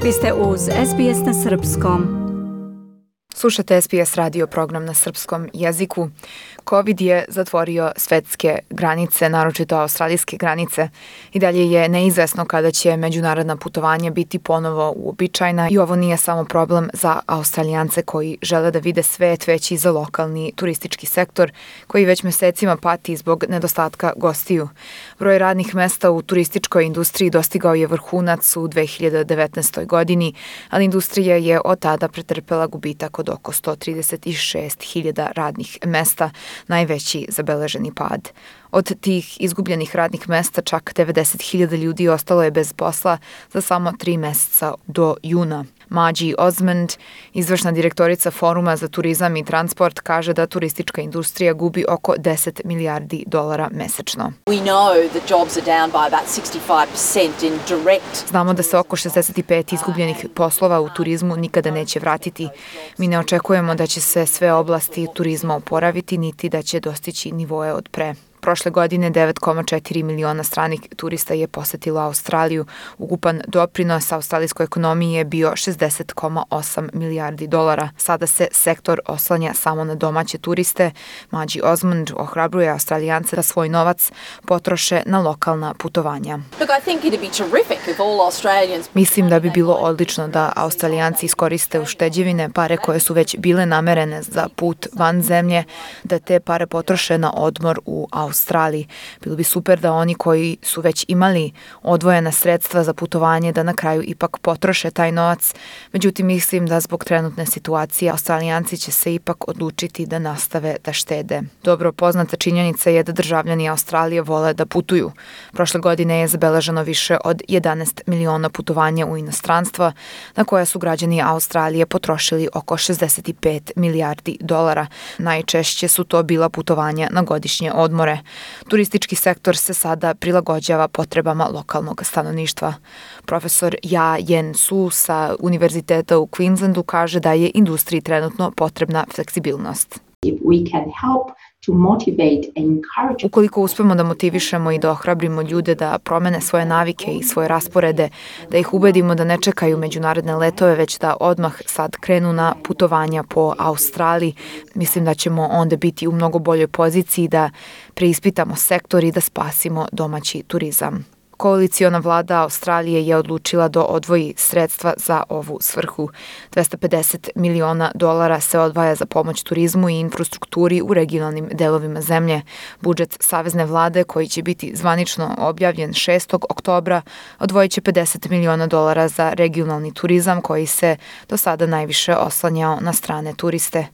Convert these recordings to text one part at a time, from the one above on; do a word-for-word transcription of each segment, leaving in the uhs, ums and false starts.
Vi ste uz S B S na srpskom. Slušate S B S radio program na srpskom jeziku. Covid je zatvorio svetske granice, naročito australijske granice. I dalje je neizvesno kada će međunarodna putovanja biti ponovo uobičajena i ovo nije samo problem za Australijance koji žele da vide svet, već i za lokalni turistički sektor koji već mesecima pati zbog nedostatka gostiju. Broj radnih mesta u turističkoj industriji dostigao je vrhunac u dve hiljade devetnaestoj. godini, ali industrija je od tada pretrpela gubitak od oko sto trideset šest hiljada radnih mesta, najveći zabeleženi pad. Od tih izgubljenih radnih mesta čak devedeset hiljada ljudi ostalo je bez posla za samo tri meseca do juna. Maggie Osmond, izvršna direktorica Foruma za turizam i transport, kaže da turistička industrija gubi oko deset milijardi dolara mesečno. Znamo da se oko šezdeset pet izgubljenih poslova u turizmu nikada neće vratiti. Mi ne očekujemo da će se sve oblasti turizma oporaviti, niti da će dostići nivoe od pre. Prošle godine devet zarez četiri miliona stranih turista je posetilo Australiju. Ukupan doprinos australijskoj ekonomiji je bio šezdeset zarez osam milijardi dolara. Sada se sektor oslanja samo na domaće turiste. Maggie Osmond ohrabruje Australijance da svoj novac potroše na lokalna putovanja. Mislim da bi bilo odlično da Australijanci iskoriste ušteđevine, pare koje su već bile namerene za put van zemlje, da te pare potroše na odmor u Australiji. Australiji. Bilo bi super da oni koji su već imali odvojena sredstva za putovanje da na kraju ipak potroše taj novac. Međutim, mislim da zbog trenutne situacije Australijanci će se ipak odlučiti da nastave da štede. Dobro poznata činjenica je da državljani Australije vole da putuju. Prošle godine je zabeleženo više od jedanaest miliona putovanja u inostranstva, na koja su građani Australije potrošili oko šezdeset pet milijardi dolara. Najčešće su to bila putovanja na godišnje odmore. Turistički sektor se sada prilagođava potrebama lokalnog stanovništva. Profesor Ja Yen Su sa Univerziteta u Queenslandu kaže da je industriji trenutno potrebna fleksibilnost. Ukoliko uspemo da motivišemo i da ohrabrimo ljude da promene svoje navike i svoje rasporede, da ih ubedimo da ne čekaju međunarodne letove, već da odmah sad krenu na putovanja po Australiji, mislim da ćemo onda biti u mnogo boljoj poziciji da preispitamo sektor i da spasimo domaći turizam. Koaliciona vlada Australije je odlučila da odvoji sredstva za ovu svrhu. dvesta pedeset miliona dolara se odvaja za pomoć turizmu i infrastrukturi u regionalnim delovima zemlje. Budžet savezne vlade, koji će biti zvanično objavljen šestog oktobra, odvojit će pedeset miliona dolara za regionalni turizam koji se do sada najviše oslanjao na strane turiste.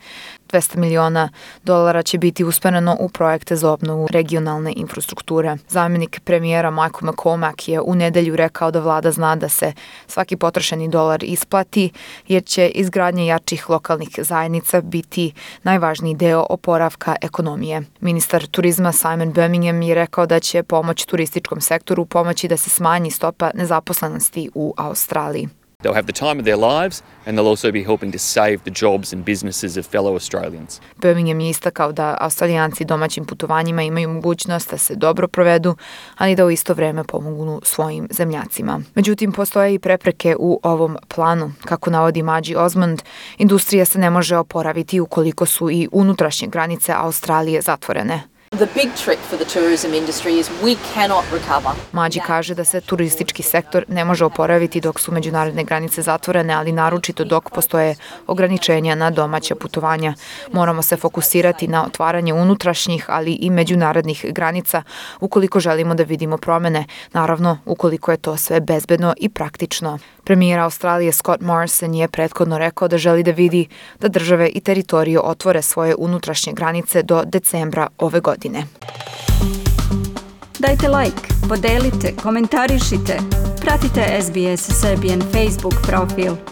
dvesta miliona dolara će biti usmereno u projekte za obnovu regionalne infrastrukture. Zamjenik premijera Michael McCormack je u nedelju rekao da vlada zna da se svaki potrošeni dolar isplati, jer će izgradnja jačih lokalnih zajednica biti najvažniji deo oporavka ekonomije. Ministar turizma Simon Birmingham je rekao da će pomoć turističkom sektoru pomoći da se smanji stopa nezaposlenosti u Australiji. They'll have the time of their lives and they'll also be helping to save the jobs and businesses of fellow Australians. Birmingham je istakao da Australijanci domaćim putovanjima imaju mogućnost da se dobro provedu, ali da u isto vreme pomognu svojim zemljacima. Međutim, postoje i prepreke u ovom planu. Kako navodi Maggie Osmond, industrija se ne može oporaviti ukoliko su i unutrašnje granice Australije zatvorene. The big trick for the tourism industry is we cannot recover. Maggie kaže da se turistički sektor ne može oporaviti dok su međunarodne granice zatvorene, ali naročito dok postoje ograničenja na domaća putovanja. Moramo se fokusirati na otvaranje unutrašnjih, ali i međunarodnih granica ukoliko želimo da vidimo promene, naravno ukoliko je to sve bezbedno i praktično. Premijer Australije Scott Morrison je prethodno rekao da želi da vidi da države i teritorije otvore svoje unutrašnje granice do decembra ove godine. Dajte like, podelite, komentarišite. Pratite S B S Serbian Facebook profil.